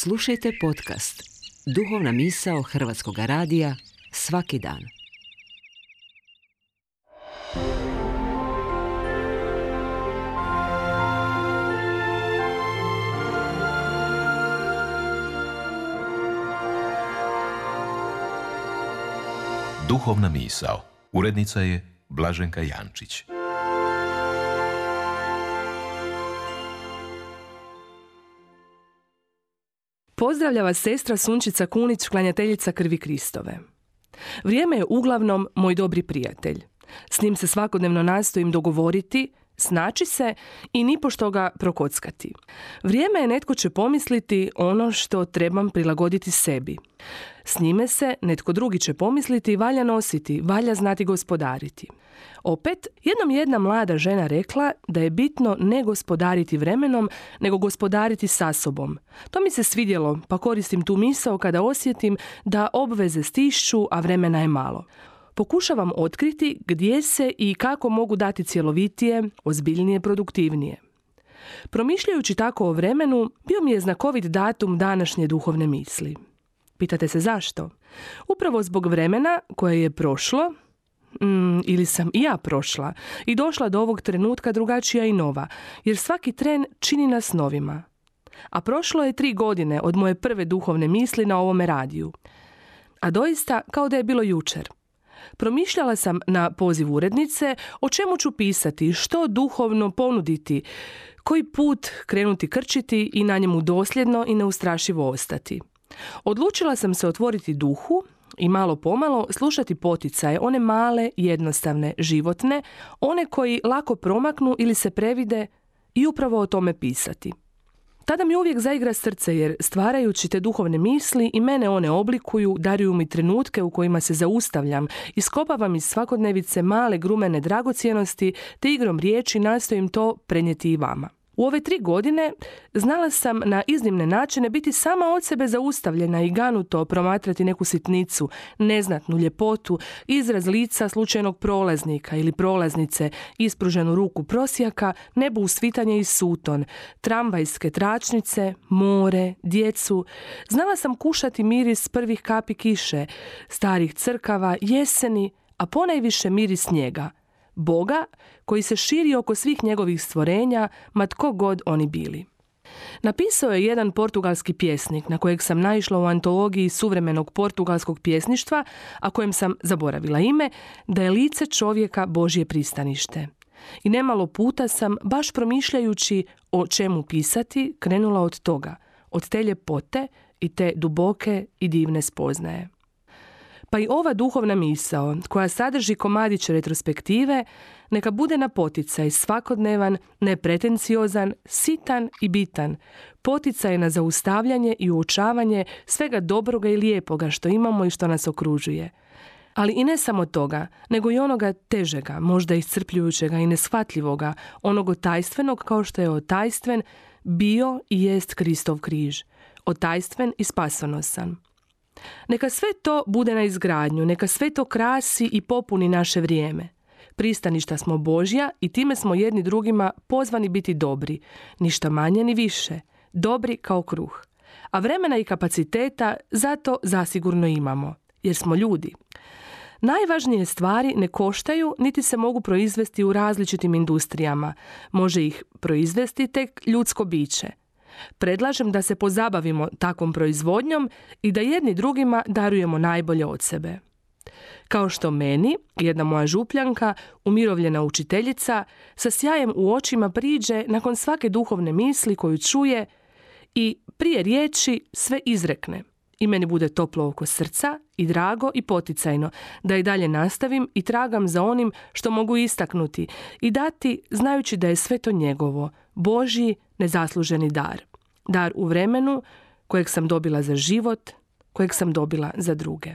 Slušajte podcast Duhovna misao Hrvatskog radija svaki dan. Duhovna misao. Urednica je Blaženka Jančić. Pozdravlja vas sestra Sunčica Kunić, klanjateljica krvi Kristove. Vrijeme je uglavnom moj dobri prijatelj. S njim se svakodnevno nastojim dogovoriti, snaći se i nipošto ga prokockati. Vrijeme je, netko će pomisliti, ono što trebam prilagoditi sebi. S njime se netko drugi će pomisliti, valja nositi, valja znati gospodariti. Opet, jednom jedna mlada žena rekla da je bitno ne gospodariti vremenom, nego gospodariti sa sobom. To mi se svidjelo, pa koristim tu misao kada osjetim da obveze stišću, a vremena je malo. Pokušavam otkriti gdje se i kako mogu dati cjelovitije, ozbiljnije, produktivnije. Promišljajući tako o vremenu, bio mi je znakovit datum današnje duhovne misli. Pitate se zašto? Upravo zbog vremena koje je prošlo, ili sam i ja prošla i došla do ovog trenutka drugačija i nova, jer svaki tren čini nas novima. A prošlo je 3 godine od moje prve duhovne misli na ovome radiju. A doista kao da je bilo jučer. Promišljala sam na poziv urednice o čemu ću pisati, što duhovno ponuditi, koji put krenuti krčiti i na njemu dosljedno i neustrašivo ostati. Odlučila sam se otvoriti duhu i malo pomalo slušati poticaje, one male, jednostavne, životne, one koji lako promaknu ili se previde, i upravo o tome pisati. Tada mi uvijek zaigra srce, jer stvarajući te duhovne misli i mene one oblikuju, daruju mi trenutke u kojima se zaustavljam, iskopavam iz svakodnevice male grumene dragocjenosti, te igrom riječi nastojim to prenijeti i vama. U ove 3 godine znala sam na iznimne načine biti sama od sebe zaustavljena i ganuto promatrati neku sitnicu, neznatnu ljepotu, izraz lica slučajnog prolaznika ili prolaznice, ispruženu ruku prosjaka, nebo usvitanje i suton, tramvajske tračnice, more, djecu. Znala sam kušati miris prvih kapi kiše, starih crkava, jeseni, a ponajviše miris snijega. Boga koji se širi oko svih njegovih stvorenja, ma tko god oni bili. Napisao je jedan portugalski pjesnik na kojeg sam naišla u antologiji suvremenog portugalskog pjesništva, a kojem sam zaboravila ime, da je lice čovjeka Božje pristanište. I nemalo puta sam, baš promišljajući o čemu pisati, krenula od toga, od te ljepote i te duboke i divne spoznaje. Pa i ova duhovna misao, koja sadrži komadić retrospektive, neka bude na poticaj svakodnevan, nepretenciozan, sitan i bitan, poticaj na zaustavljanje i uočavanje svega dobroga i lijepoga što imamo i što nas okružuje. Ali i ne samo toga, nego i onoga težega, možda iscrpljujućega i neshvatljivoga, onog otajstvenog kao što je otajstven bio i jest Kristov križ, otajstven i spasonosan. Neka sve to bude na izgradnju, neka sve to krasi i popuni naše vrijeme. Pristaništa smo Božja i time smo jedni drugima pozvani biti dobri, ništa manje ni više, dobri kao kruh. A vremena i kapaciteta zato zasigurno imamo, jer smo ljudi. Najvažnije stvari ne koštaju niti se mogu proizvesti u različitim industrijama. Može ih proizvesti tek ljudsko biće. Predlažem da se pozabavimo takvom proizvodnjom i da jedni drugima darujemo najbolje od sebe. Kao što meni, jedna moja župljanka, umirovljena učiteljica, sa sjajem u očima priđe nakon svake duhovne misli koju čuje i prije riječi sve izrekne. I meni bude toplo oko srca i drago i poticajno da i dalje nastavim i tragam za onim što mogu istaknuti i dati znajući da je sve to njegovo, Božji nezasluženi dar. Dar u vremenu kojeg sam dobila za život, kojeg sam dobila za druge.